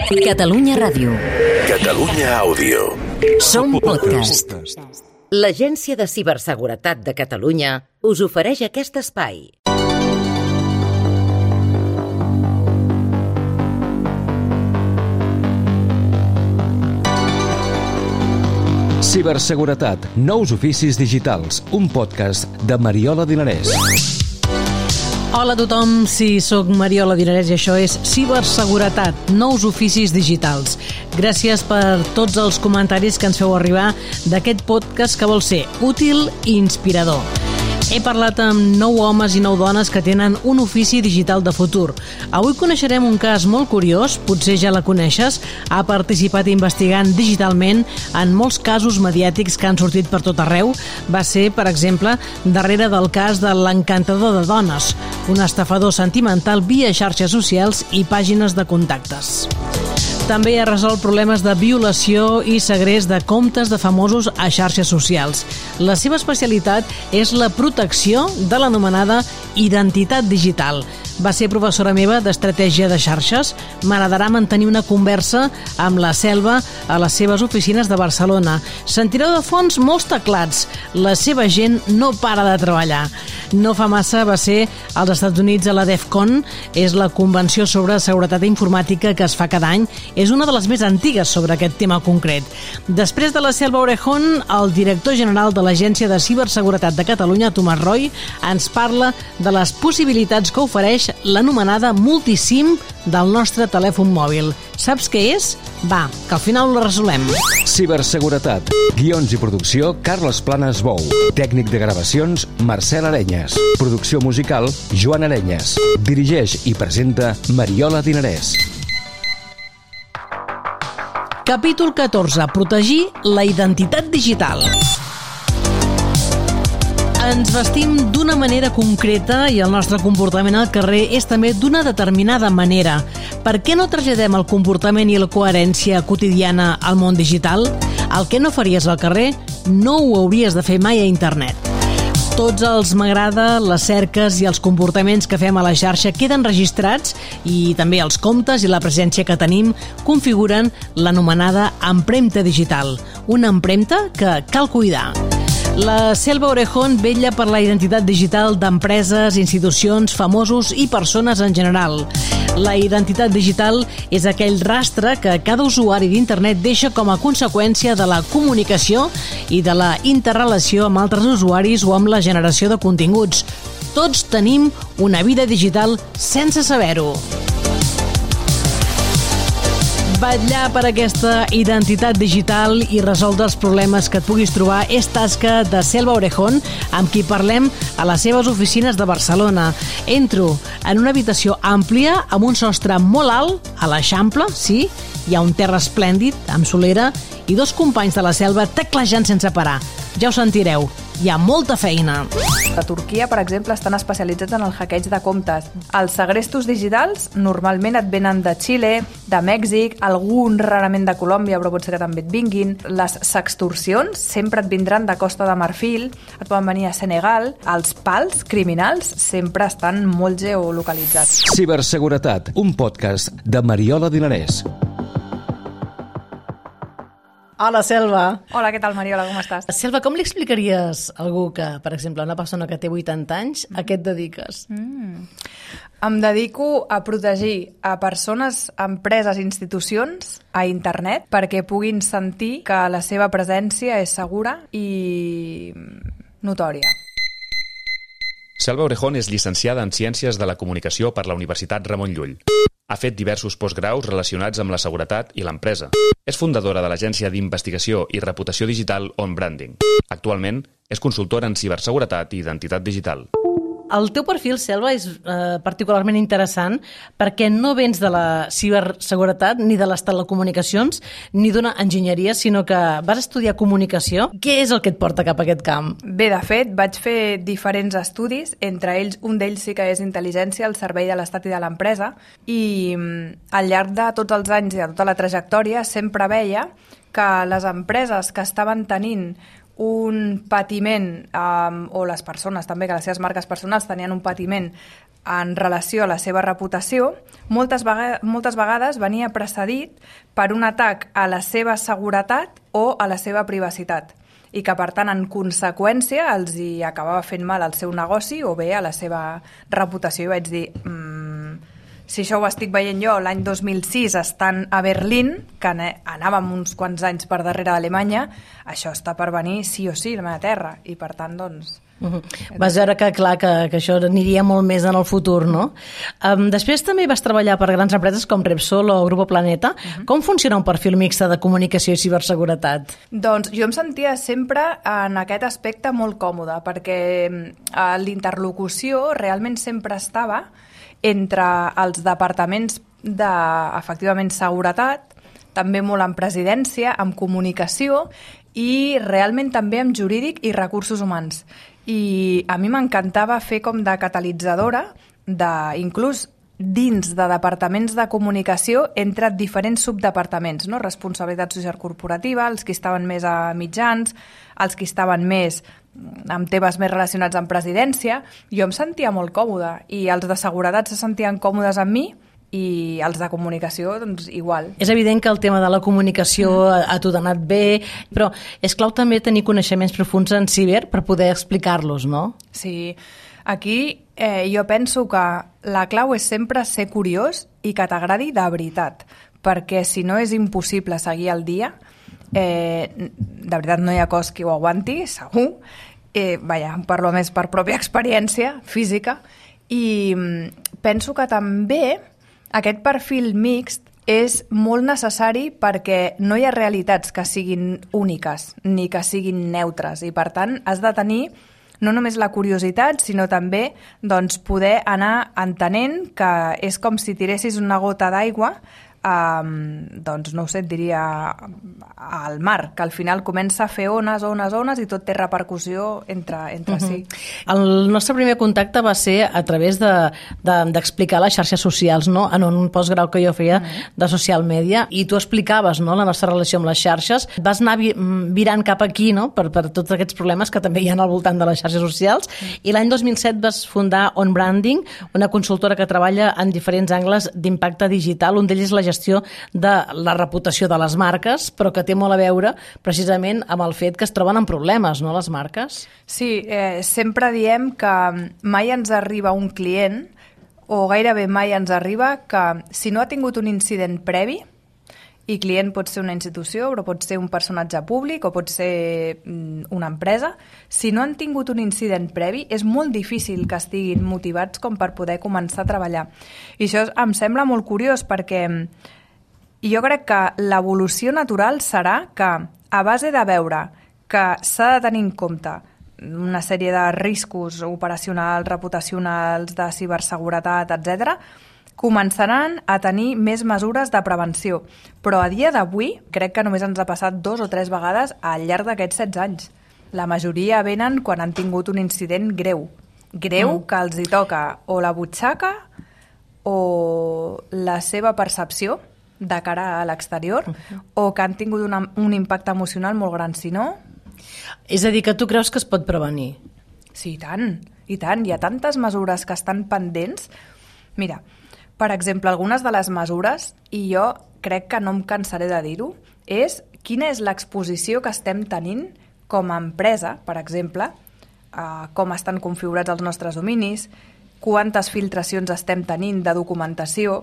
Catalunya Ràdio. Catalunya Àudio. Som podcast. L'Agència de Ciberseguretat de Catalunya us ofereix aquest espai. Ciberseguretat, nous oficis digitals, un podcast de Mariola Dinarès. Hola a tothom, sí, soc Mariola Dinarès i això és Ciberseguretat, nous oficis digitals. Gràcies per tots els comentaris que ens feu arribar d'aquest podcast que vol ser útil i inspirador. He parlat amb 9 homes i 9 dones que tenen un ofici digital de futur. Avui coneixerem un cas molt curiós, potser ja la coneixes, ha participat investigant digitalment en molts casos mediàtics que han sortit per tot arreu. Va ser, per exemple, darrere del cas de l'encantador de dones, un estafador sentimental via xarxes socials i pàgines de contactes. També ha resolt problemes de violació i segrest de comptes de famosos a xarxes socials. La seva especialitat és la protecció de l'anomenada identitat digital. Va ser professora meva d'estratègia de xarxes. M'agradarà mantenir una conversa amb la Selva a les seves oficines de Barcelona. Sentireu de fons molts teclats. La seva gent no para de treballar. No fa massa va ser als Estats Units a la DEF CON, és la convenció sobre seguretat informàtica que es fa cada any. És una de les més antigues sobre aquest tema concret. Després de la Selva Orejón, el director general de l'Agència de Ciberseguretat de Catalunya, Tomàs Roy, ens parla de les possibilitats que ofereix l'anomenada multisim del nostre telèfon mòbil. Saps què és? Va, que al final ho resolem. Ciberseguretat. Guions i producció, Carles Planes Bou. Tècnic de gravacions, Marcel Arenyes. Producció musical, Joan Arenyes. Dirigeix i presenta Mariola Dinarès. Capítol 14. Protegir la identitat digital. Ens vestim d'una manera concreta i el nostre comportament al carrer és també d'una determinada manera. Per què no traslladem el comportament i la coherència quotidiana al món digital? El que no faries al carrer no ho hauries de fer mai a internet. Tots els m'agrada, les cerques i els comportaments que fem a la xarxa queden registrats i també els comptes i la presència que tenim configuren l'anomenada empremta digital, una empremta que cal cuidar. La Selva Orejón vetlla per la identitat digital d'empreses, institucions, famosos i persones en general. La identitat digital és aquell rastre que cada usuari d'internet deixa com a conseqüència de la comunicació i de la interrelació amb altres usuaris o amb la generació de continguts. Tots tenim una vida digital sense saber-ho. Vetllar per aquesta identitat digital i resoldre els problemes que et puguis trobar és tasca de Selva Orejón, amb qui parlem a les seves oficines de Barcelona. Entro en una habitació àmplia amb un sostre molt alt, a l'Eixample, sí, hi ha un terra esplèndid, amb solera, i 2 companys de la Selva teclejant sense parar. Ja ho sentireu, hi ha molta feina. A Turquia, per exemple, estan especialitzats en el hackeig de comptes. Els segrestos digitals normalment et venen de Xile, de Mèxic, algun rarament de Colòmbia, però pot ser que també et vinguin. Les sextorsions sempre et vindran de Costa de Marfil, et poden venir a Senegal. Els pals criminals sempre estan molt geolocalitzats. Ciberseguretat, un podcast de Mariola Dinarès. Hola, Selva. Hola, què tal, Mariola, com estàs? Selva, com li explicaries a algú que, per exemple, una persona que té 80 anys, a què et dediques? Em dedico a protegir a persones, empreses, institucions a internet perquè puguin sentir que la seva presència és segura i notòria. Selva Orejón és llicenciada en Ciències de la Comunicació per la Universitat Ramon Llull. Ha fet diversos postgraus relacionats amb la seguretat i l'empresa. És fundadora de l'agència d'investigació i reputació digital On Branding. Actualment és consultora en ciberseguretat i identitat digital. El teu perfil, Selva, és particularment interessant perquè no vens de la ciberseguretat ni de les telecomunicacions ni d'una enginyeria, sinó que vas estudiar comunicació. Què és el que et porta cap a aquest camp? Bé, de fet, vaig fer diferents estudis, entre ells un d'ells sí que és intel·ligència al servei de l'Estat i de l'empresa, i al llarg de tots els anys i de tota la trajectòria sempre veia que les empreses que estaven tenint un patiment, o les persones també, que les seves marques personals tenien un patiment en relació a la seva reputació, moltes vegades venia precedit per un atac a la seva seguretat o a la seva privacitat, i que, per tant, en conseqüència, els hi acabava fent mal al seu negoci o bé a la seva reputació. I vaig dir, si això ho estic veient jo l'any 2006 estant a Berlín, que anàvem uns quants anys per darrere d'Alemanya, això està per venir sí o sí a la meva terra, i per tant, doncs... Vas veure que, clar, que això aniria molt més en el futur, no? Després també vas treballar per grans empreses com Repsol o Grupo Planeta. Com funciona un perfil mixte de comunicació i ciberseguretat? Doncs jo em sentia sempre en aquest aspecte molt còmode, perquè l'interlocució realment sempre estava entre els departaments efectivament, seguretat, també molt en presidència, amb comunicació i realment també amb jurídic i recursos humans. I a mi m'encantava fer com de catalitzadora, inclús dins de departaments de comunicació entre diferents subdepartaments, no? Responsabilitat social corporativa, els que estaven més a mitjans, els que estaven més amb temes més relacionats amb presidència. Jo em sentia molt còmoda i els de seguretat se sentien còmodes amb mi i els de comunicació, doncs, igual. És evident que el tema de la comunicació a tu t'ha anat bé, però és clau també tenir coneixements profuns en ciber per poder explicar-los, no? Sí, aquí jo penso que la clau és sempre ser curiós i que t'agradi de veritat, perquè si no és impossible seguir el dia, de veritat no hi ha cos que ho aguanti, segur, parlo més per pròpia experiència física, i penso que també aquest perfil mixt és molt necessari perquè no hi ha realitats que siguin úniques ni que siguin neutres, i per tant has de tenir no només la curiositat, sinó també doncs, poder anar entenent que és com si tiressis una gota d'aigua doncs no ho sé, et diria al mar, que al final comença a fer ones i tot té repercussió entre sí. El nostre primer contacte va ser a través d'explicar les xarxes socials, no? En un postgrau que jo feia de social media, i tu explicaves, no?, la nostra relació amb les xarxes. Vas anar virant cap aquí, no?, per tots aquests problemes que també hi ha al voltant de les xarxes socials, i l'any 2007 vas fundar On Branding, una consultora que treballa en diferents angles d'impacte digital. Un d'ells és la gestió de la reputació de les marques, però que té molt a veure precisament amb el fet que es troben amb problemes, no, les marques? Sí, sempre diem que mai ens arriba un client, o gairebé mai ens arriba, que si no ha tingut un incident previ, i client pot ser una institució, però pot ser un personatge públic o pot ser una empresa, si no han tingut un incident previ, és molt difícil que estiguin motivats com per poder començar a treballar. I això em sembla molt curiós, perquè jo crec que l'evolució natural serà que, a base de veure que s'ha de tenir en compte una sèrie de riscos operacionals, reputacionals, de ciberseguretat, etc., començaran a tenir més mesures de prevenció. Però a dia d'avui crec que només ens ha passat 2 o 3 vegades al llarg d'aquests 16 anys. La majoria venen quan han tingut un incident greu. Greu que els hi toca o la butxaca o la seva percepció de cara a l'exterior, o que han tingut un impacte emocional molt gran. Si no... És a dir, que tu creus que es pot prevenir? Sí, i tant. Hi ha tantes mesures que estan pendents. Mira, per exemple, algunes de les mesures, i jo crec que no em cansaré de dir-ho, és quina és l'exposició que estem tenint com a empresa, per exemple, com estan configurats els nostres dominis, quantes filtracions estem tenint de documentació,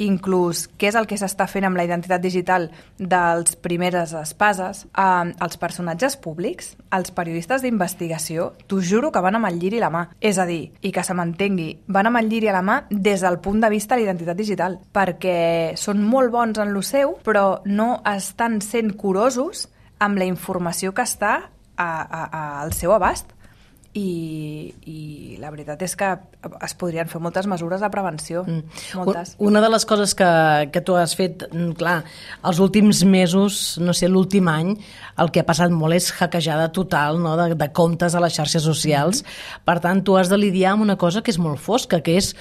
inclús què és el que s'està fent amb la identitat digital dels primeres espases, els personatges públics, els periodistes d'investigació, t'ho juro que van amb el lliri a la mà. És a dir, i que se m'entengui, van amb el lliri a la mà des del punt de vista de l'identitat digital, perquè són molt bons en lo seu, però no estan sent curosos amb la informació que està al seu abast. i la veritat és que es podrien fer moltes mesures de prevenció. Moltes. Una de les coses que tu has fet, clar, els últims mesos, no sé, l'últim any, el que ha passat molt és hackejada total, no?, de comptes a les xarxes socials. Per tant, tu has de lidiar amb una cosa que és molt fosca, que és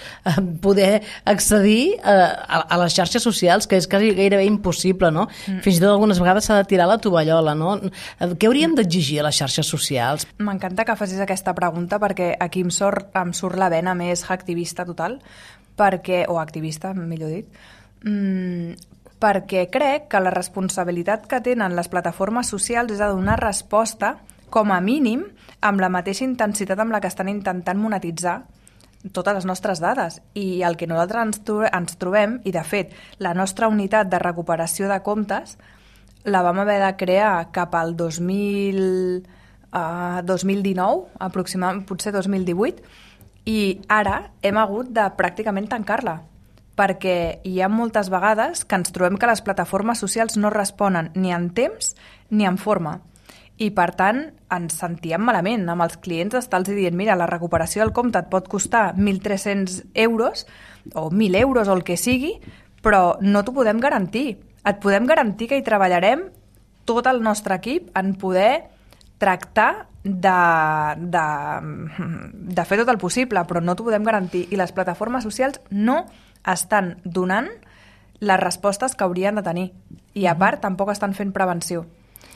poder accedir a les xarxes socials, que és quasi gairebé impossible, no? Fins i tot algunes vegades s'ha de tirar la tovallola, no? Què hauríem d'exigir a les xarxes socials? M'encanta que facis aquesta pregunta perquè aquí em surt la vena més hacktivista total, o activista, millor dit, perquè crec que la responsabilitat que tenen les plataformes socials és de donar resposta, com a mínim, amb la mateixa intensitat amb la que estan intentant monetitzar totes les nostres dades. I el que nosaltres ens trobem, i de fet, la nostra unitat de recuperació de comptes la vam haver de crear cap al 2019, aproximadament, potser 2018, i ara hem hagut de pràcticament tancar-la, perquè hi ha moltes vegades que ens trobem que les plataformes socials no responen ni en temps ni en forma. I, per tant, ens sentíem malament amb els clients d'estar-los dient mira, la recuperació del compte et pot costar 1.300 euros o 1.000 euros o el que sigui, però no t'ho podem garantir. Et podem garantir que hi treballarem tot el nostre equip en poder tractar de fer tot el possible, però no t'ho podem garantir. I les plataformes socials no estan donant les respostes que haurien de tenir. I a part, tampoc estan fent prevenció.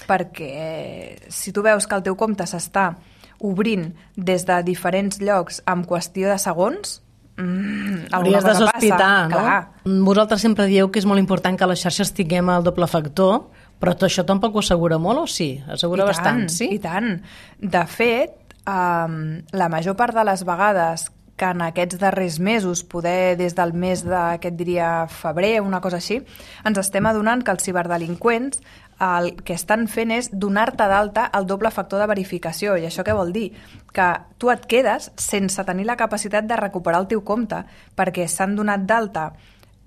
Perquè si tu veus que el teu compte s'està obrint des de diferents llocs en qüestió de segons, hauries de sospitar, no? Clar. Vosaltres sempre dieu que és molt important que a les xarxes tinguem el doble factor, però tot això tampoc ho assegura molt, o sí? Assegura bastant, sí? I tant. De fet, la major part de les vegades que en aquests darrers mesos, poder des del mes d'aquest diria febrer, una cosa així, ens estem adonant que els ciberdelinqüents el que estan fent és donar-te d'alta el doble factor de verificació. I això què vol dir? Que tu et quedes sense tenir la capacitat de recuperar el teu compte, perquè s'han donat d'alta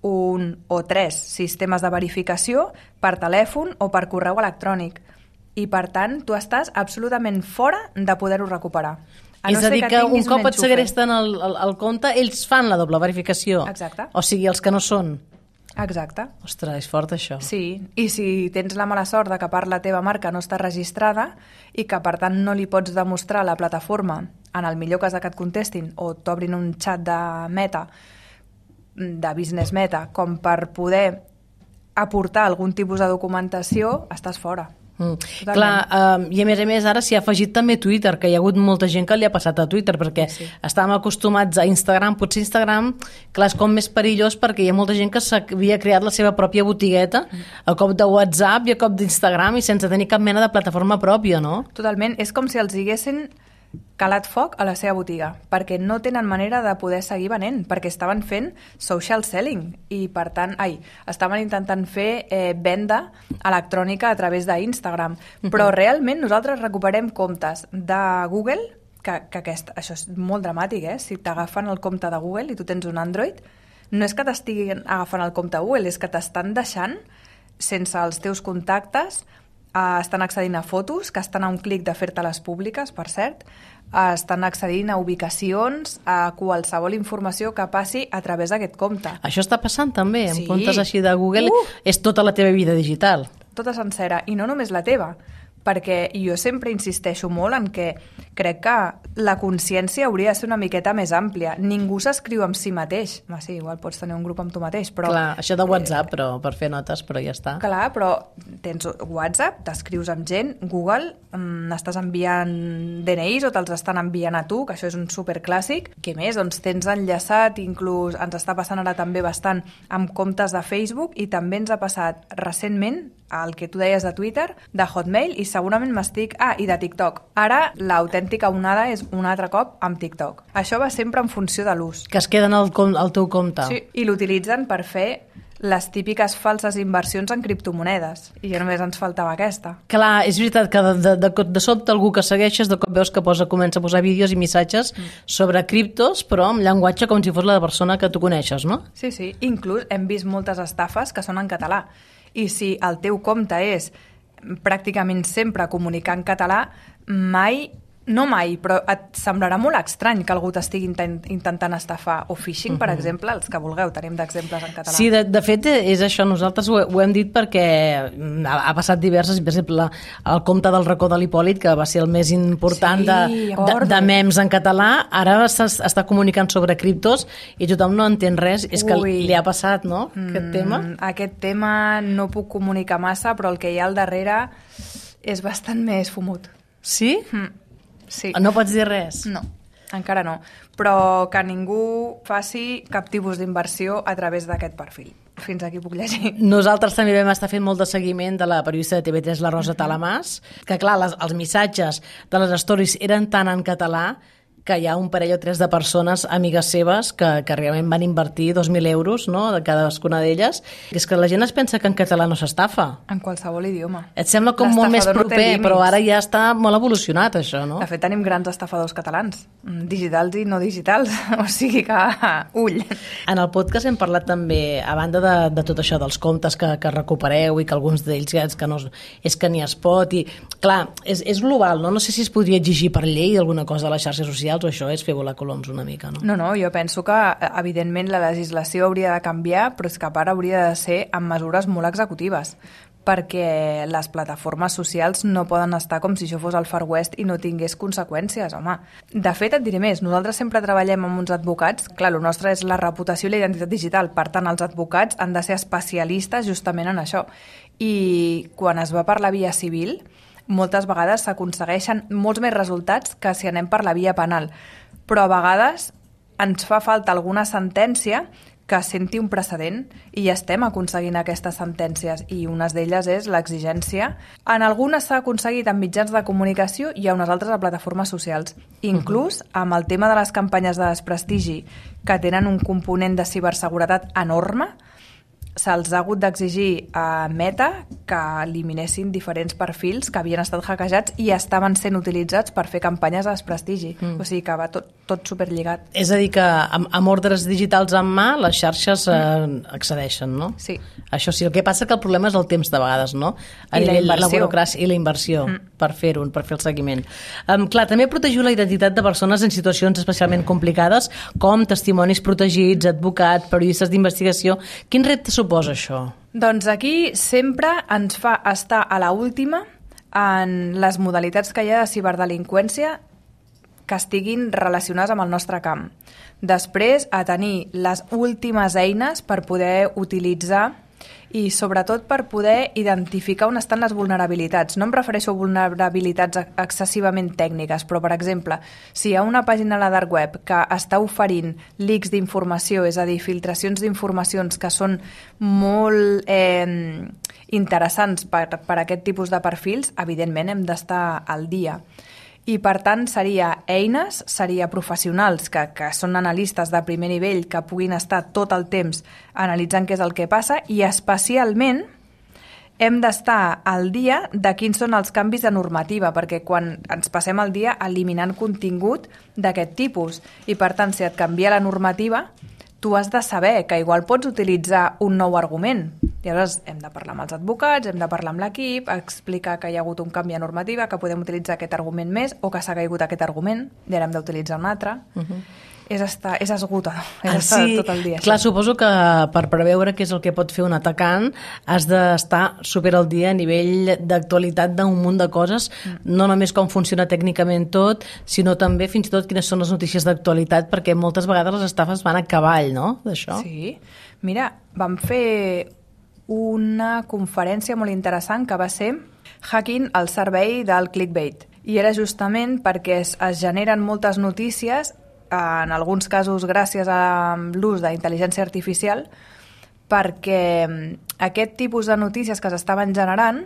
1 o 3 sistemes de verificació per telèfon o per correu electrònic. I, per tant, tu estàs absolutament fora de poder-ho recuperar. És a dir, que un cop et segresten el compte, ells fan la doble verificació. Exacte. O sigui, els que no són. Exacte. Ostres, és fort això. Sí, i si tens la mala sort de que per la teva marca no està registrada i que per tant no li pots demostrar a la plataforma, en el millor cas que et contestin o t'obrin un xat de Meta, de Business Meta, com per poder aportar algun tipus de documentació, estàs fora. Clar, i a més ara s'hi ha afegit també Twitter, que hi ha hagut molta gent que li ha passat a Twitter, perquè estàvem acostumats a Instagram. Potser Instagram, clar, és com més perillós perquè hi ha molta gent que s'havia creat la seva pròpia botigueta a cop de WhatsApp i a cop d'Instagram i sense tenir cap mena de plataforma pròpia, no? Totalment, és com si els haguessin calat foc a la seva botiga, perquè no tenen manera de poder seguir venent, perquè estaven fent social selling i, per tant, estaven intentant fer venda electrònica a través d'Instagram. Però realment nosaltres recuperem comptes de Google, que això és molt dramàtic, si t'agafen el compte de Google i tu tens un Android, no és que t'estiguin agafant el compte Google, és que t'estan deixant sense els teus contactes, estan accedint a fotos, que estan a un clic de fer-te-les públiques, per cert, estan accedint a ubicacions, a qualsevol informació que passi a través d'aquest compte. Això està passant també, en comptes així de Google, és tota la teva vida digital. Tota sencera, i no només la teva, perquè jo sempre insisteixo molt en que crec que la consciència hauria de ser una miqueta més àmplia. Ningú s'escriu amb si mateix. Sí, igual pots tenir un grup amb tu mateix, però... Clar, això de WhatsApp, però per fer notes, però ja està. Clar, però tens WhatsApp, t'escrius amb gent, Google, estàs enviant DNIs o te'ls estan enviant a tu, que això és un superclàssic. Què més? Doncs tens enllaçat, inclús ens està passant ara també bastant amb comptes de Facebook i també ens ha passat recentment el que tu deies de Twitter, de Hotmail i segurament m'estic... i de TikTok. Ara l'autèntica onada és un altre cop amb TikTok. Això va sempre en funció de l'ús. Que es queden al teu compte. Sí, i l'utilitzen per fer les típiques falses inversions en criptomonedes. I ja només ens faltava aquesta. Clar, és veritat que de sobte algú que segueixes, de cop veus que comença a posar vídeos i missatges sobre criptos, però amb llenguatge com si fos la persona que tu coneixes, no? Sí, sí. Inclús hem vist moltes estafes que són en català. I si el teu compte és pràcticament sempre comunicar en català, mai No mai, però et semblarà molt estrany que algú t'estigui intentant estafar. O phishing, per exemple, els que vulgueu, tenim d'exemples en català. Sí, de fet és això, nosaltres ho hem dit perquè ha passat diverses, per exemple, el compte del racó de l'Hipòlit, que va ser el més important de memes en català, ara està comunicant sobre criptos i tothom no entén res. És que li ha passat, no?, aquest tema. Aquest tema no puc comunicar massa, però el que hi ha al darrere és bastant més fumut. Sí? Sí. No pots dir res? No, encara no. Però que ningú faci cap tipus d'inversió a través d'aquest perfil. Fins aquí puc llegir. Nosaltres també vam estar fent molt de seguiment de la periodista de TV3, la Rosa Talamàs, que clar, els missatges de les stories eren tan en català que hi ha un parell o tres de persones, amigues seves, que realment van invertir 2.000 euros, no?, de cadascuna d'elles. És que la gent es pensa que en català no s'estafa. En qualsevol idioma. Et sembla com molt més proper, però ara ja està molt evolucionat, això, no? De fet, tenim grans estafadors catalans, digitals i no digitals, o sigui que ull. En el podcast hem parlat també, a banda de tot això, dels comptes que recupereu i que alguns d'ells que no, és que ni es pot, i clar, és global, no? No sé si es podria exigir per llei alguna cosa a les xarxes socials, o això és fer volar coloms una mica, no? No, jo penso que, evidentment, la legislació hauria de canviar, però és que a part hauria de ser amb mesures molt executives, perquè les plataformes socials no poden estar com si això fos el Far West i no tingués conseqüències, home. De fet, et diré més, nosaltres sempre treballem amb uns advocats, clar, el nostre és la reputació i la identitat digital, per tant, els advocats han de ser especialistes justament en això. I quan es va per la via civil, moltes vegades s'aconsegueixen molts més resultats que si anem per la via penal. Però a vegades ens fa falta alguna sentència que senti un precedent i ja estem aconseguint aquestes sentències i unes d'elles és l'exigència. En algunes s'ha aconseguit en mitjans de comunicació i a unes altres a plataformes socials. Inclús amb el tema de les campanyes de desprestigi que tenen un component de ciberseguretat enorme, se'ls ha hagut d'exigir a Meta que eliminessin diferents perfils que havien estat hackejats i estaven sent utilitzats per fer campanyes de desprestigi. O sigui que va tot superlligat. És a dir, que amb ordres digitals en mà les xarxes accedeixen, no? Sí. Això sí, el que passa que el problema és el temps de vegades, no? A nivell de la burocràcia i la inversió per fer-ho, per fer el seguiment. Clar, també protegiu la identitat de persones en situacions especialment complicades, com testimonis protegits, advocats, periodistes d'investigació. Quin repte suposa això? Doncs aquí sempre ens fa estar a la última en les modalitats que hi ha de ciberdelinqüència que estiguin relacionades amb el nostre camp. Després, a tenir les últimes eines per poder utilitzar i sobretot per poder identificar on estan les vulnerabilitats. No em refereixo a vulnerabilitats excessivament tècniques, però, per exemple, si hi ha una pàgina a la dark web que està oferint leaks d'informació, és a dir, filtracions d'informacions que són molt interessants per aquest tipus de perfils, evidentment hem d'estar al dia. I, per tant, seria eines, seria professionals que són analistes de primer nivell que puguin estar tot el temps analitzant què és el que passa i, especialment, hem d'estar al dia de quins són els canvis de normativa, perquè quan ens passem el dia eliminant contingut d'aquest tipus i, per tant, si et canvia la normativa, tu has de saber que igual pots utilitzar un nou argument. I llavors hem de parlar amb els advocats, hem de parlar amb l'equip, explicar que hi ha hagut un canvi de normativa, que podem utilitzar aquest argument més o que s'ha caigut aquest argument i ara hem d'utilitzar un altre. És esgotador, estar tot el dia. Clar, suposo que per preveure què és el que pot fer un atacant has d'estar super al dia a nivell d'actualitat d'un munt de coses, no només com funciona tècnicament tot, sinó també fins i tot quines són les notícies d'actualitat, perquè moltes vegades les estafes van a cavall, no?, d'això. Sí. Mira, vam fer una conferència molt interessant que va ser Hacking al servei del clickbait. I era justament perquè es generen moltes notícies, en alguns casos gràcies a l'ús d'intel·ligència artificial, perquè aquest tipus de notícies que s'estaven generant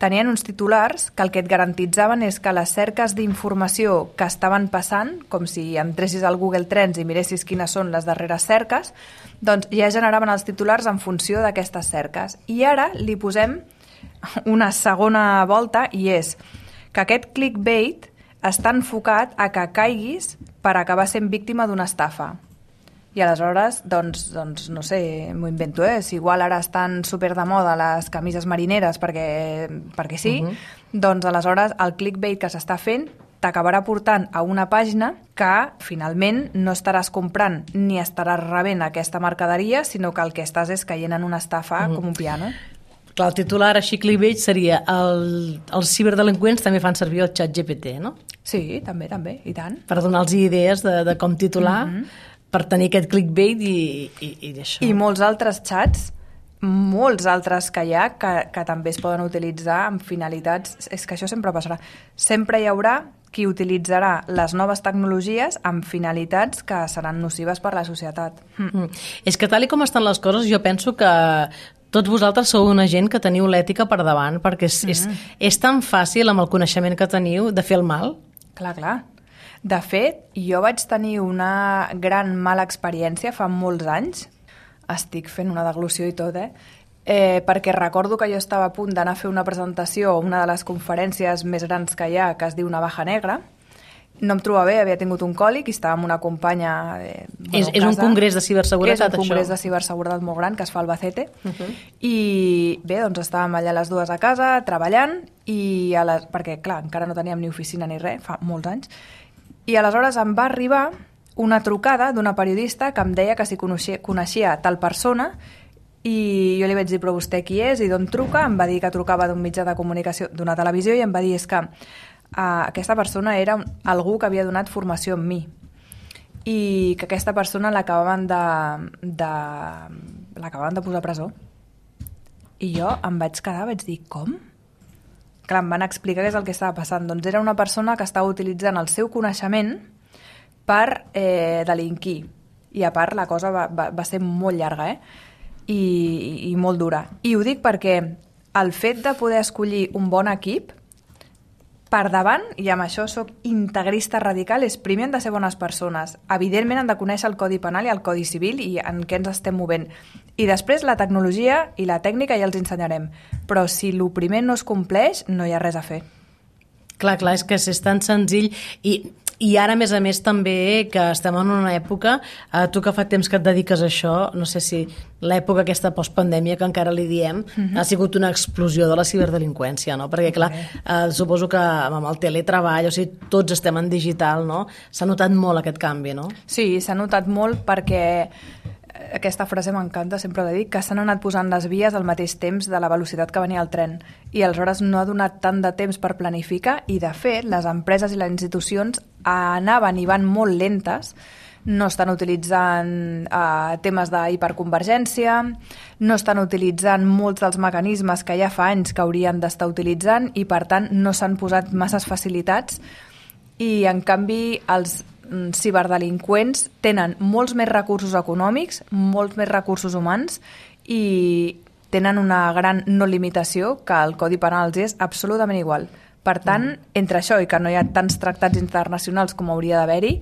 tenien uns titulars que el que et garantitzaven és que les cerques d'informació que estaven passant, com si entressis al Google Trends i miressis quines són les darreres cerques, doncs ja generaven els titulars en funció d'aquestes cerques. I ara li posem una segona volta i és que aquest clickbait està enfocat a que caiguis per acabar sent víctima d'una estafa. I aleshores, doncs no sé, m'ho invento, si igual ara estan super de moda les camises marineres perquè sí, doncs aleshores el clickbait que s'està fent t'acabarà portant a una pàgina que finalment no estaràs comprant ni estaràs rebent aquesta mercaderia, sinó que el que estàs és caient en una estafa com un piano. Clar, el titular així clickbait seria els ciberdelinqüents també fan servir el xat GPT, no? Sí, també, i tant. Per donar-los idees de com titular, per tenir aquest clickbait i això. I molts altres xats, molts altres que hi ha, que també es poden utilitzar amb finalitats... És que això sempre passarà. Sempre hi haurà qui utilitzarà les noves tecnologies amb finalitats que seran nocives per la societat. És que tal com estan les coses, jo penso que tots vosaltres sou una gent que teniu l'ètica per davant, perquè és tan fàcil amb el coneixement que teniu de fer el mal. Clar. De fet, jo vaig tenir una gran mala experiència fa molts anys. Estic fent una deglució i tot, perquè recordo que jo estava a punt d'anar a fer una presentació a una de les conferències més grans que hi ha, que es diu Navaja Negra. No em trobava bé, havia tingut un còlic i estava amb una companya... És un congrés de ciberseguretat, això? És un congrés de ciberseguretat molt gran que es fa al Albacete. I bé, doncs estàvem allà les dues a casa, treballant, perquè, clar, encara no teníem ni oficina ni res, fa molts anys, i aleshores em va arribar una trucada d'una periodista que em deia que si coneixia tal persona, i jo li vaig dir, però vostè qui és i d'on truca? Em va dir que trucava d'un mitjà de comunicació, d'una televisió, i em va dir, és que aquesta persona era algú que havia donat formació en mi i que aquesta persona l'acabaven de posar a presó. I jo em vaig quedar, vaig dir, com? Clar, em van explicar què és el que estava passant. Doncs era una persona que estava utilitzant el seu coneixement per delinquir. I a part la cosa va ser molt llarga, i molt dura. I ho dic perquè el fet de poder escollir un bon equip per davant, i amb això soc integrista radical, és primer han de ser bones persones. Evidentment han de conèixer el Codi Penal i el Codi Civil i en què ens estem movent. I després la tecnologia i la tècnica ja els ensenyarem. Però si el primer no es compleix, no hi ha res a fer. Clar, és que és tan senzill i ara, a més, també que estem en una època, tu que fa temps que et dediques a això, no sé si l'època aquesta postpandèmia que encara li diem, ha sigut una explosió de la ciberdelinqüència, no? Perquè, clar, suposo que amb el teletreball, o sigui, tots estem en digital, no? S'ha notat molt aquest canvi, no? Sí, s'ha notat molt perquè aquesta frase m'encanta, sempre l'he dit, que s'han anat posant les vies al mateix temps de la velocitat que venia el tren. I aleshores no ha donat tant de temps per planificar i, de fet, les empreses i les institucions anaven i van molt lentes, no estan utilitzant temes d'hiperconvergència, no estan utilitzant molts dels mecanismes que ja fa anys que haurien d'estar utilitzant i, per tant, no s'han posat masses facilitats i, en canvi, els ciberdelinqüents tenen molts més recursos econòmics, molts més recursos humans i tenen una gran no limitació que el Codi Penal els és absolutament igual. Per tant, entre això i que no hi ha tants tractats internacionals com hauria d'haver-hi,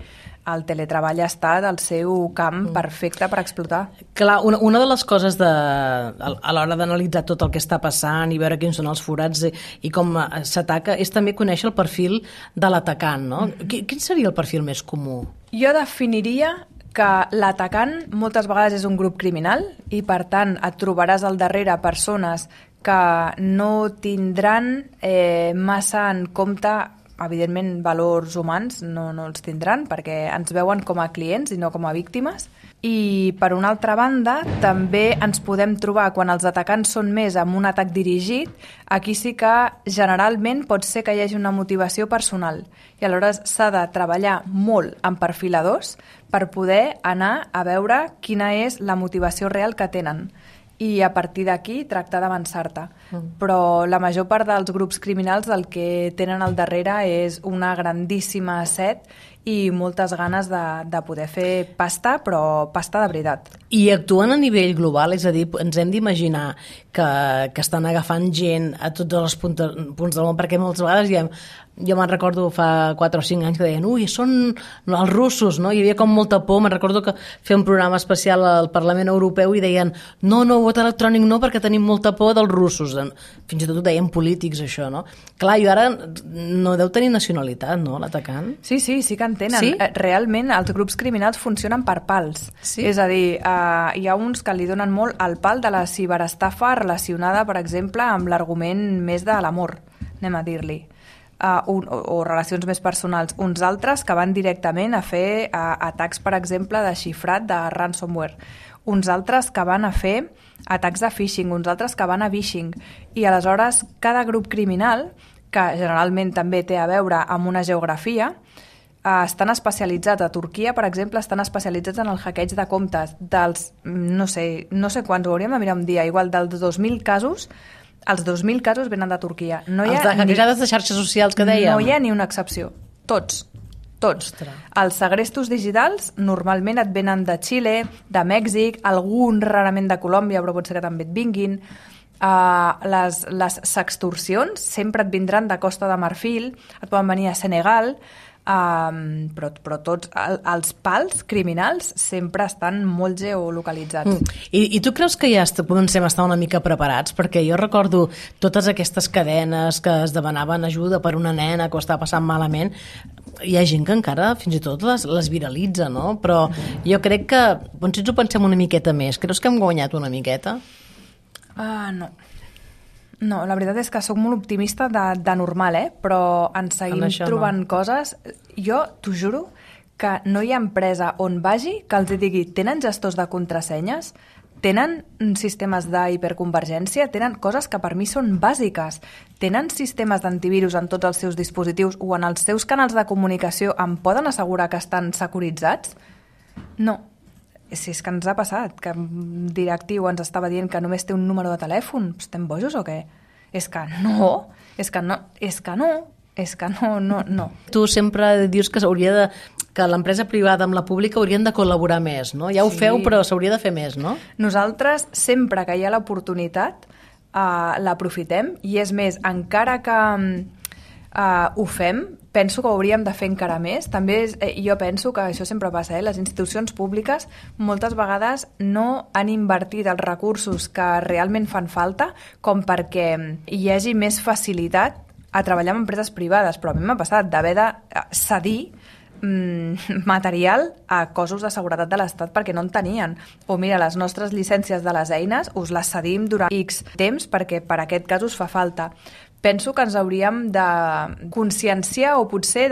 el teletreball ha estat el seu camp perfecte per explotar. Clar, una de les coses a l'hora d'analitzar tot el que està passant i veure quins són els forats i com s'ataca és també conèixer el perfil de l'atacant, no? Quin seria el perfil més comú? Jo definiria que l'atacant moltes vegades és un grup criminal i, per tant, et trobaràs al darrere persones que no tindran massa en compte, evidentment, valors humans, no els tindran perquè ens veuen com a clients i no com a víctimes. I, per una altra banda, també ens podem trobar, quan els atacants són més amb un atac dirigit, aquí sí que generalment pot ser que hi hagi una motivació personal. I aleshores s'ha de treballar molt en perfiladors per poder anar a veure quina és la motivació real que tenen. I a partir d'aquí tractar d'avançar-te. Però la major part dels grups criminals el que tenen al darrere és una grandíssima set i moltes ganes de poder fer pasta, però pasta de veritat. I actuen a nivell global, és a dir, ens hem d'imaginar que estan agafant gent a tots els punts del món, perquè moltes vegades jo me'n recordo fa 4 o 5 anys que deien, són els russos, no? Hi havia com molta por. Me'n recordo que feia un programa especial al Parlament Europeu i deien, no, vot electrònic no, perquè tenim molta por dels russos. Fins i tot ho deien polítics, això, no? Clar, i ara no deu tenir nacionalitat, no, l'atacant? Sí que en tenen. Sí? Realment, els grups criminals funcionen per pals. Sí? És a dir, hi ha uns que li donen molt al pal de la ciberestafa relacionada, per exemple, amb l'argument més de l'amor, anem a dir-li. o relacions més personals, uns altres que van directament a fer atacs, per exemple, de xifrat, de ransomware, uns altres que van a fer atacs de phishing, uns altres que van a vishing, i aleshores cada grup criminal, que generalment també té a veure amb una geografia, estan especialitzats. A Turquia, per exemple, estan especialitzats en el hackeig de comptes dels, no sé quants, ho hauríem de mirar un dia, igual dels 2.000 casos, els 2.000 casos venen de Turquia. Els de hackejades de xarxes socials que dèiem? No hi ha ni una excepció. Tots. Els segrestos digitals normalment et venen de Xile, de Mèxic, algun rarament de Colòmbia, però pot ser que també et vinguin. Les sextorsions sempre et vindran de Costa de Marfil, et poden venir a Senegal, però tots els pals criminals sempre estan molt geolocalitzats. I tu creus que ja comencem a estar una mica preparats? Perquè jo recordo totes aquestes cadenes que es demanaven ajuda per una nena que ho estava passant malament. Hi ha gent que encara fins i tot les viralitza, no? Però jo crec que, si ens ho pensem una miqueta més, creus que hem guanyat una miqueta? No, la veritat és que sóc molt optimista de normal, però ens seguim trobant coses. Jo t'ho juro que no hi ha empresa on vagi que els digui tenen gestors de contrasenyes, tenen sistemes d'hiperconvergència, tenen coses que per mi són bàsiques, tenen sistemes d'antivirus en tots els seus dispositius o en els seus canals de comunicació, em poden assegurar que estan securitzats? No. Si és que ens ha passat, que un directiu ens estava dient que només té un número de telèfon, estem bojos o què? És que no. Tu sempre dius que que l'empresa privada amb la pública haurien de col·laborar més, no? Ja ho feu, però s'hauria de fer més, no? Nosaltres, sempre que hi ha l'oportunitat, l'aprofitem, i és més, encara que ho fem, penso que ho hauríem de fer encara més. També jo penso que això sempre passa, les institucions públiques moltes vegades no han invertit els recursos que realment fan falta com perquè hi hagi més facilitat a treballar amb empreses privades, però a mi m'ha passat d'haver de cedir material a cossos de seguretat de l'Estat perquè no en tenien. O mira, les nostres llicències de les eines us les cedim durant X temps perquè per aquest cas us fa falta. Penso que ens hauríem de conscienciar o potser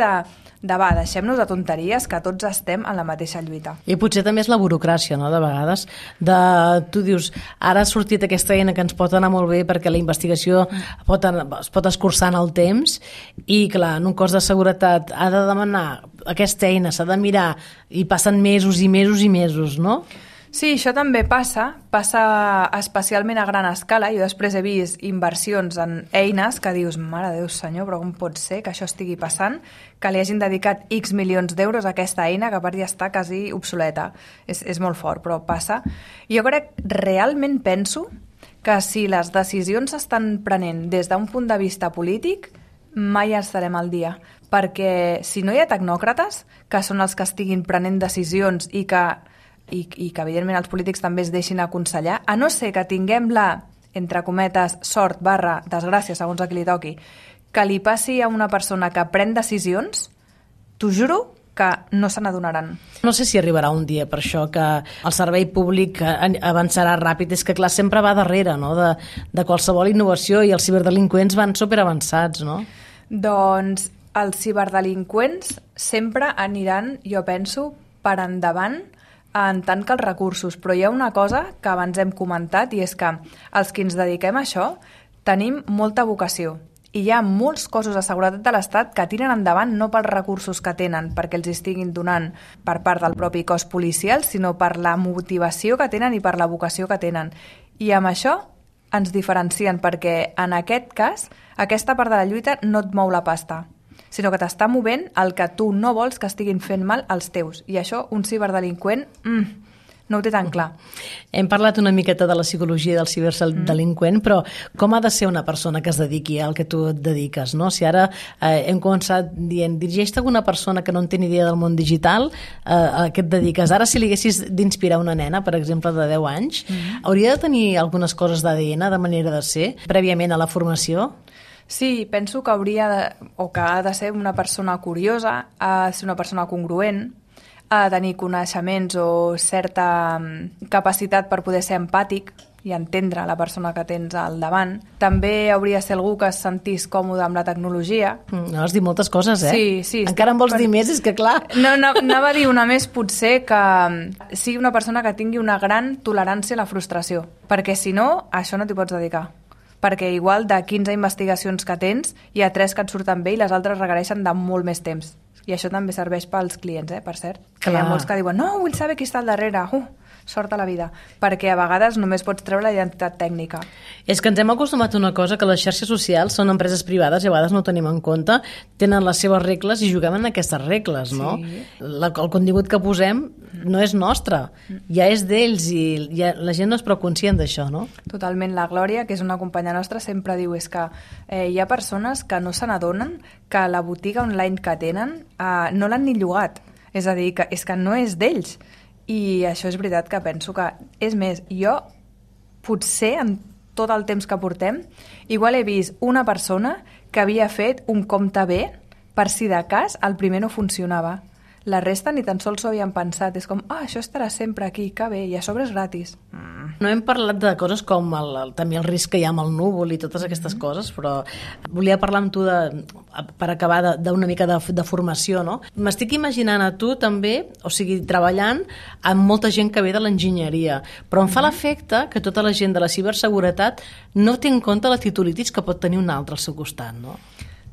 deixem-nos de tonteries, que tots estem en la mateixa lluita. I potser també és la burocràcia, no?, de vegades. Tu dius, ara ha sortit aquesta eina que ens pot anar molt bé perquè la investigació es pot escurçar en el temps i, clar, en un cos de seguretat ha de demanar aquesta eina, s'ha de mirar i passen mesos i mesos i mesos, no? Sí, això també passa especialment a gran escala. Jo després he vist inversions en eines que dius, mare de Déu senyor, però com pot ser que això estigui passant, que li hagin dedicat X milions d'euros a aquesta eina que a part ja està quasi obsoleta. És molt fort, però passa. Jo realment penso que si les decisions s'estan prenent des d'un punt de vista polític, mai estarem al dia. Perquè si no hi ha tecnòcrates, que són els que estiguin prenent decisions i que evidentment els polítics també es deixin aconsellar, a no ser que tinguem entre cometes, sort / desgràcia, segons a qui li toqui, que li passi a una persona que pren decisions, t'ho juro que no se n'adonaran. No sé si arribarà un dia per això que el servei públic avançarà ràpid. És que, clar, sempre va darrere, no?, de qualsevol innovació, i els ciberdelinqüents van superavançats, no? Doncs els ciberdelinqüents sempre aniran, jo penso, per endavant en tant que els recursos, però hi ha una cosa que abans hem comentat, i és que els que ens dediquem a això tenim molta vocació, i hi ha molts cossos de seguretat de l'Estat que tiren endavant no pels recursos que tenen perquè els estiguin donant per part del propi cos policial, sinó per la motivació que tenen i per la vocació que tenen. I amb això ens diferencien, perquè en aquest cas aquesta part de la lluita no et mou la pasta, sinó que t'està movent el que tu no vols que estiguin fent mal als teus. I això, un ciberdelinqüent, no ho té tan clar. Hem parlat una miqueta de la psicologia del ciberdelinqüent, però com ha de ser una persona que es dediqui al que tu et dediques, no? Si ara hem començat dient, dirigeix-te a alguna persona que no en té ni idea del món digital, a què et dediques? Ara, si li haguessis d'inspirar una nena, per exemple, de 10 anys, hauria de tenir algunes coses d'ADN, de manera de ser, prèviament a la formació? Sí, penso que ha de ser una persona curiosa, ha de ser una persona congruent, ha de tenir coneixements o certa capacitat per poder ser empàtic i entendre la persona que tens al davant. També hauria de ser algú que es sentís còmode amb la tecnologia. No, has dit moltes coses, eh? Sí. Encara en vols dir més, és que clar... No, anava a dir una més, potser que sigui una persona que tingui una gran tolerància a la frustració, perquè si no, a això no t'hi pots dedicar. Perquè igual de 15 investigacions que tens, hi ha 3 que et surten bé i les altres requereixen de molt més temps. I això també serveix pels clients, per cert. Clar. Hi ha molts que diuen, no, vull saber qui està al darrere. Sort a la vida. Perquè a vegades només pots treure la identitat tècnica. És que ens hem acostumat a una cosa, que les xarxes socials són empreses privades i a vegades no ho tenim en compte, tenen les seves regles i juguem en aquestes regles, no? Sí. El contingut que posem no és nostre, ja és d'ells i la gent no és prou conscient d'això, no? Totalment. La Glòria, que és una companya nostra, sempre diu és que hi ha persones que no se n'adonen que la botiga online que tenen no l'han ni llogat. És a dir, que és que no és d'ells. I això és veritat que penso que... És més, jo potser en tot el temps que portem igual he vist una persona que havia fet un compte bé per si de cas el primer no funcionava. La resta ni tan sols s'ho havien pensat. És com, això estarà sempre aquí, que bé, i a sobre és gratis. No hem parlat de coses com també el risc que hi ha amb el núvol i totes aquestes coses, però volia parlar amb tu, per acabar, d'una mica de formació, no? M'estic imaginant a tu també, o sigui, treballant amb molta gent que ve de l'enginyeria, però em fa l'efecte que tota la gent de la ciberseguretat no té en compte la titulitis que pot tenir un altre al seu costat, no?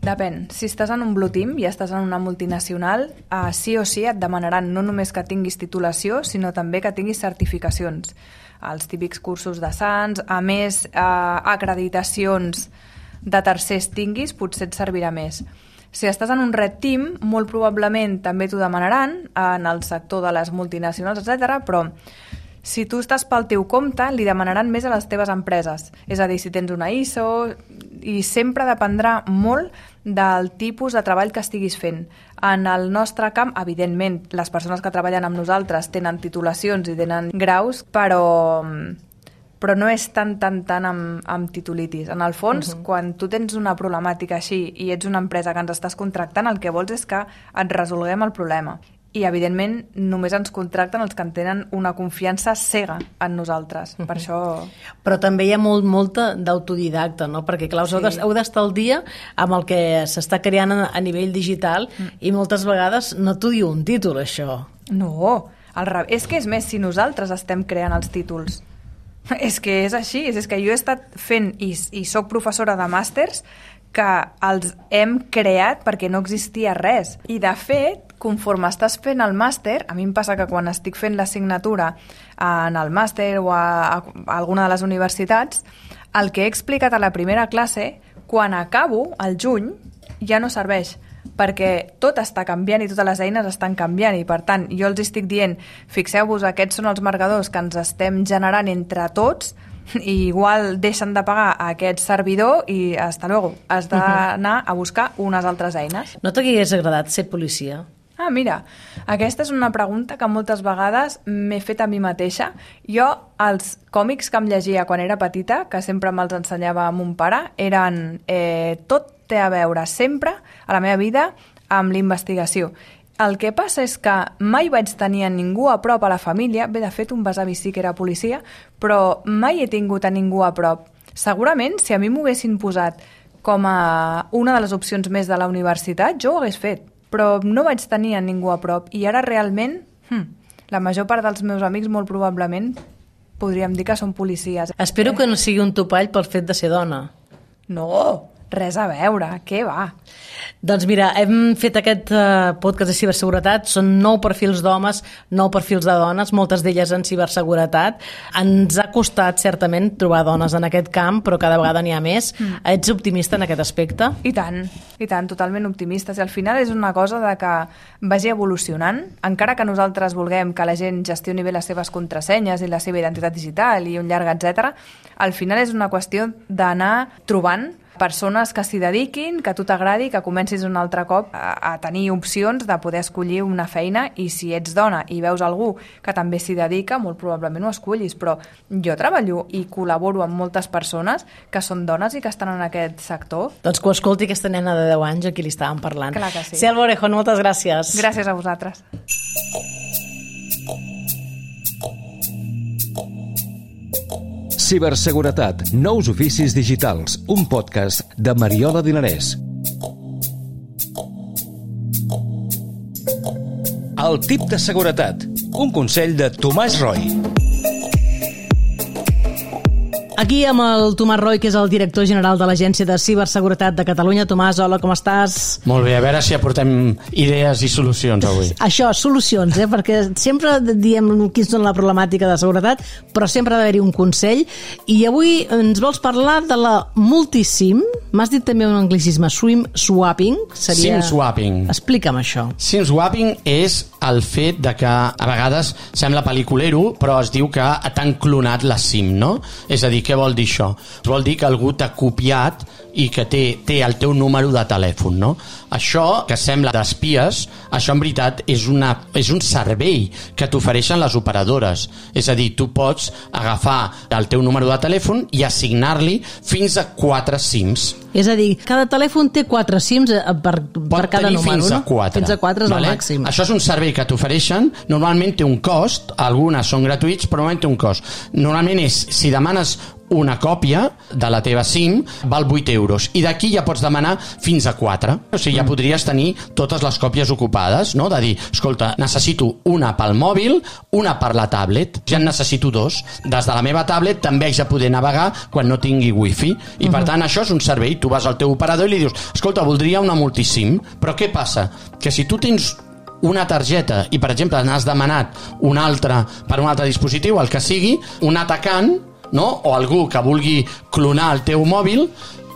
Depèn. Si estàs en un blue team i estàs en una multinacional, sí o sí et demanaran no només que tinguis titulació, sinó també que tinguis certificacions. Els típics cursos de SANS, a més acreditacions de tercers tinguis, potser et servirà més. Si estàs en un red team, molt probablement també t'ho demanaran en el sector de les multinacionals, etc. Però si tu estàs pel teu compte, li demanaran més a les teves empreses. És a dir, si tens una ISO, i sempre dependrà molt del tipus de treball que estiguis fent. En el nostre camp, evidentment, les persones que treballen amb nosaltres tenen titulacions i tenen graus, però no és tan amb titulitis. En el fons, quan tu tens una problemàtica així i ets una empresa que ens estàs contractant, el que vols és que et resolguem el problema. I, evidentment, només ens contracten els que en tenen una confiança cega en nosaltres. Per això... Però també hi ha molta d'autodidacta, no? Perquè, clar, heu d'estar al dia amb el que s'està creant a nivell digital i moltes vegades no t'ho diu un títol, això. No, és que és més, si nosaltres estem creant els títols. És que és així, és que jo he estat fent i soc professora de màsters que els hem creat perquè no existia res. I, de fet, conforme estàs fent el màster, a mi em passa que quan estic fent l'assignatura en el màster o a alguna de les universitats, el que he explicat a la primera classe, quan acabo, al juny, ja no serveix, perquè tot està canviant i totes les eines estan canviant i, per tant, jo els estic dient, fixeu-vos, aquests són els marcadors que ens estem generant entre tots i igual deixen de pagar a aquest servidor i hasta luego, has d'anar a buscar unes altres eines. No t'hagués agradat ser policia? Mira, aquesta és una pregunta que moltes vegades m'he fet a mi mateixa. Jo, els còmics que em llegia quan era petita, que sempre me'ls ensenyava mon pare, eren tot té a veure sempre a la meva vida amb l'investigació. El que passa és que mai vaig tenir a ningú a prop a la família, bé, de fet, un besavi sí que era policia, però mai he tingut a ningú a prop. Segurament, si a mi m'ho haguessin posat com a una de les opcions més de la universitat, jo ho hagués fet, però no vaig tenir a ningú a prop. I ara realment, la major part dels meus amics molt probablement podríem dir que són policies. Espero que no sigui un topall pel fet de ser dona. No, res a veure, què va? Doncs mira, hem fet aquest podcast de ciberseguretat, són 9 perfils d'homes, 9 perfils de dones, moltes d'elles en ciberseguretat. Ens ha costat, certament, trobar dones en aquest camp, però cada vegada n'hi ha més. Ets optimista en aquest aspecte? I tant, totalment optimistes. I al final és una cosa de que vagi evolucionant, encara que nosaltres vulguem que la gent gestioni bé les seves contrasenyes i la seva identitat digital i un llarg etcètera, al final és una qüestió d'anar trobant persones que s'hi dediquin, que a tu t'agradi, que comencis un altre cop a tenir opcions de poder escollir una feina, i si ets dona i veus algú que també s'hi dedica, molt probablement ho escollis, però jo treballo i col·laboro amb moltes persones que són dones i que estan en aquest sector. Doncs que ho escolti aquesta nena de 10 anys a qui li estàvem parlant. Clar que sí. Selva Orejón, moltes gràcies. Gràcies a vosaltres. Ciberseguretat, nous oficis digitals, un podcast de Mariola Dinarès. El tip de seguretat, un consell de Tomàs Roy. Aquí amb el Tomàs Roy, que és el director general de l'Agència de Ciberseguretat de Catalunya. Tomàs, hola, com estàs? Molt bé, a veure si aportem idees i solucions avui. Això, solucions, perquè sempre diem quins són la problemàtica de seguretat, però sempre ha d'haver-hi un consell. I avui ens vols parlar de la multisim. M'has dit també un anglicisme, SIM swapping. SIM swapping. Explica'm això. SIM swapping és el fet de que a vegades sembla pel·liculero, però es diu que t'han clonat la SIM, no? És a dir, què vol dir això? Vol dir que algú t'ha copiat i que té el teu número de telèfon, no? Això, que sembla d'espies, això en veritat és un servei que t'ofereixen les operadores. És a dir, tu pots agafar el teu número de telèfon i assignar-li fins a 4 SIMs. És a dir, cada telèfon té 4 SIMs per cada número, fins a 4. Fins a 4 és el màxim. Això és un servei que t'ofereixen, normalment té un cost, algunes són gratuïts, però normalment té un cost. Normalment és, si demanes una còpia de la teva SIM, val 8 euros. I d'aquí ja pots demanar fins a 4. O sigui, ja podries tenir totes les còpies ocupades, no? De dir, escolta, necessito una pel mòbil, una per la tablet, ja en necessito 2. Des de la meva tablet també haig de poder navegar quan no tingui wifi. I per tant, això és un servei. Tu vas al teu operador i li dius, escolta, voldria una multisim. Però què passa? Que si tu tens una targeta i, per exemple, n'has demanat una altra per un altre dispositiu, el que sigui, un atacant, no? O algú que vulgui clonar el teu mòbil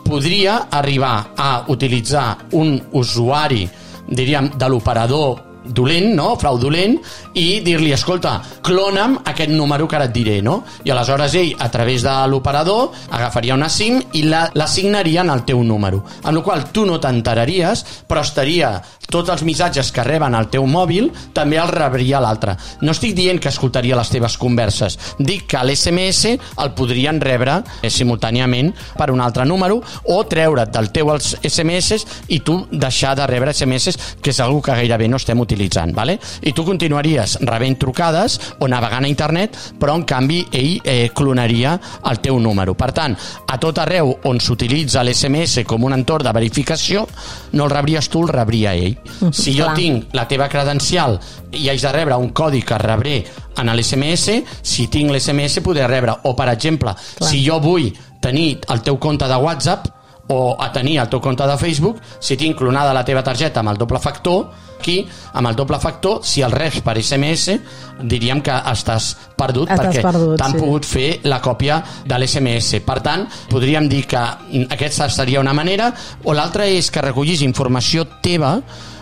podria arribar a utilitzar un usuari, diríem, de l'operador dolent, no? Fraudulent, i dir-li, escolta, clona'm aquest número que ara et diré, no? I aleshores ell, a través de l'operador, agafaria una SIM i l'assignaria al teu número. Amb la qual cosa tu no t'enteraries, però estaria tots els missatges que reben al teu mòbil també els rebria l'altre. No estic dient que escoltaria les teves converses, dic que l'SMS el podrien rebre simultàniament per un altre número o treure't del teu SMS i tu deixar de rebre SMS, que és una que gairebé no estem utilitzant, ¿vale? I tu continuaries rebent trucades o navegant a internet, però en canvi ell clonaria el teu número. Per tant, a tot arreu on s'utilitza l'SMS com un entorn de verificació, no el rebries tu, el rebria ell. Si jo tinc la teva credencial i haig de rebre un codi que rebré en l'SMS, si tinc l'SMS podré rebre, o per exemple, si jo vull tenir el teu compte de WhatsApp o a tenir el teu compte de Facebook, si tinc clonada la teva targeta amb el doble factor, aquí, amb el doble factor, si el reps per SMS, diríem que estàs perdut perquè t'han pogut fer la còpia de l'SMS. Per tant, podríem dir que aquesta seria una manera, o l'altra és que recollis informació teva,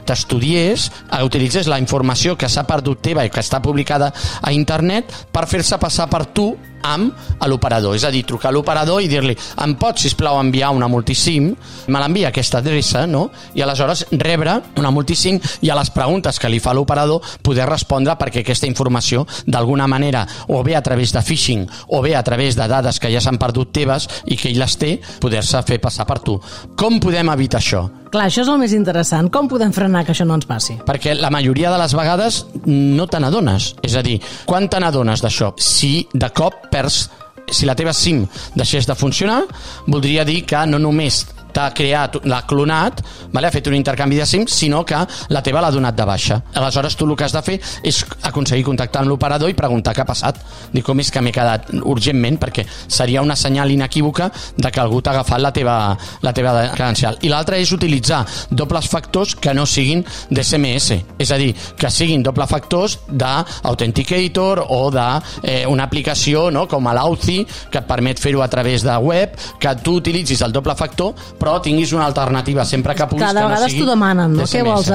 t'estudies, utilitzes la informació que s'ha perdut teva i que està publicada a internet per fer-se passar per tu amb l'operador. És a dir, trucar a l'operador i dir-li, em pots, sisplau, enviar una multisim, me l'envia aquesta adreça, no? I aleshores rebre una multisim i a les preguntes que li fa l'operador poder respondre, perquè aquesta informació d'alguna manera, o bé a través de phishing o bé a través de dades que ja s'han perdut teves i que ell les té, poder-se fer passar per tu. Com podem evitar això? Clar, això és el més interessant. Com podem frenar que això no ens passi? Perquè la majoria de les vegades no te n'adones. És a dir, quan te n'adones d'això? Si de cop perds, si la teva SIM deixés de funcionar, voldria dir que no només t'ha creat, l'ha clonat, ha fet un intercanvi de SIM, sinó que la teva l'ha donat de baixa. Aleshores tu el que has de fer és aconseguir contactar amb l'operador i preguntar què ha passat. Dir com és que m'he quedat urgentment, perquè seria una senyal inequívoca de que algú t'ha agafat la teva credencial. I l'altra és utilitzar dobles factors que no siguin d'SMS, és a dir, que siguin doble factors d'Authenticator o d'una aplicació, no? Com a l'Authy, que et permet fer-ho a través de web, que tu utilitzis el doble factor però tinguis una alternativa sempre que puguis, que no sigui... Cada vegades t'ho demanen, no? Què vols?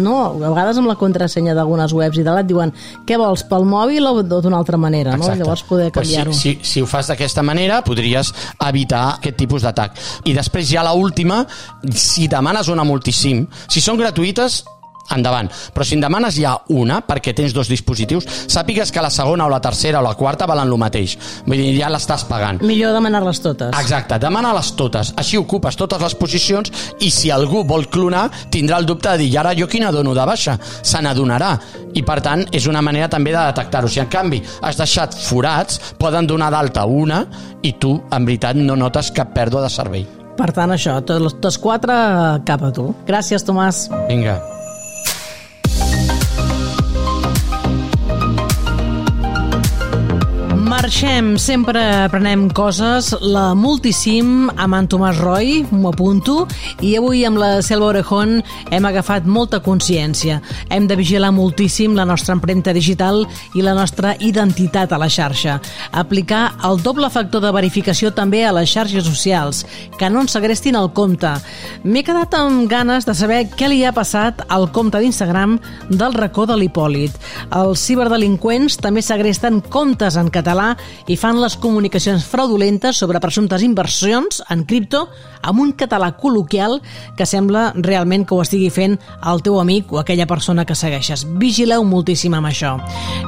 No, a vegades amb la contrasenya d'algunes webs i de et diuen què vols, pel mòbil o d'una altra manera, no? Llavors poder canviar-ho. Si ho fas d'aquesta manera podries evitar aquest tipus d'atac. I després ja l'última, si demanes una multisim, si són gratuïtes endavant. Però si en demanes ja una, perquè tens 2 dispositius, sàpigues que la segona o la tercera o la quarta valen el mateix. Vull dir, ja l'estàs pagant. Millor demanar-les totes. Exacte, demana-les totes. Així ocupes totes les posicions i si algú vol clonar, tindrà el dubte de dir, i ara jo quina dono de baixa? Se n'adonarà. I per tant, és una manera també de detectar-ho. Si en canvi has deixat forats, poden donar d'alta una i tu, en veritat, no notes cap pèrdua de servei. Per tant, això, tots 4 cap a tu. Gràcies, Tomàs. Vinga. Marxem, sempre aprenem coses. La Multisim amb en Tomàs Roy, m'ho apunto, i avui amb la Selva Orejón hem agafat molta consciència. Hem de vigilar moltíssim la nostra empremta digital i la nostra identitat a la xarxa. Aplicar el doble factor de verificació també a les xarxes socials, que no ens segrestin el compte. M'he quedat amb ganes de saber què li ha passat al compte d'Instagram del racó de l'Hipòlit. Els ciberdelinqüents també segresten comptes en català i fan les comunicacions fraudulentes sobre presumptes inversions en cripto amb un català col·loquial que sembla realment que ho estigui fent el teu amic o aquella persona que segueixes. Vigileu moltíssim amb això.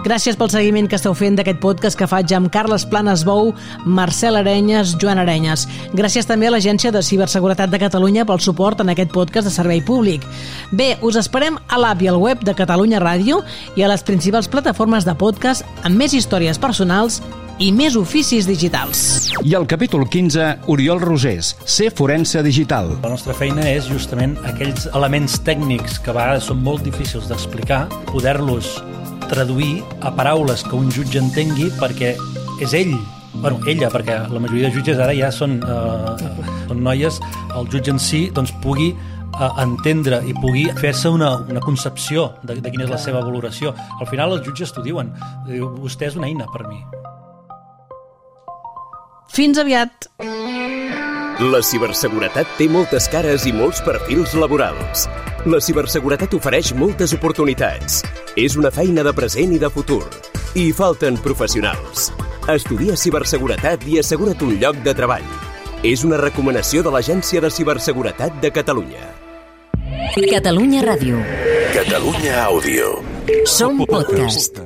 Gràcies pel seguiment que esteu fent d'aquest podcast que faig amb Carles Planes Bou, Marcel Arenyes, Joan Arenyes. Gràcies també a l'Agència de Ciberseguretat de Catalunya pel suport en aquest podcast de servei públic. Bé, us esperem a l'app i al web de Catalunya Ràdio i a les principals plataformes de podcast amb més històries personals i més oficis digitals. I al capítol 15, Oriol Rosés, ser forense digital. La nostra feina és justament aquells elements tècnics que a vegades són molt difícils d'explicar, poder-los traduir a paraules que un jutge entengui perquè és ell, ella, perquè la majoria de jutges ara ja són noies, el jutge en si doncs pugui entendre i pugui fer-se una concepció de quina és la seva valoració. Al final els jutges t'ho diuen, vostè és una eina per mi. Fins aviat! La ciberseguretat té moltes cares i molts perfils laborals. La ciberseguretat ofereix moltes oportunitats. És una feina de present i de futur. I hi falten professionals. Estudia ciberseguretat i assegura't un lloc de treball. És una recomanació de l'Agència de Ciberseguretat de Catalunya. Catalunya Ràdio. Catalunya Àudio. Som podcast.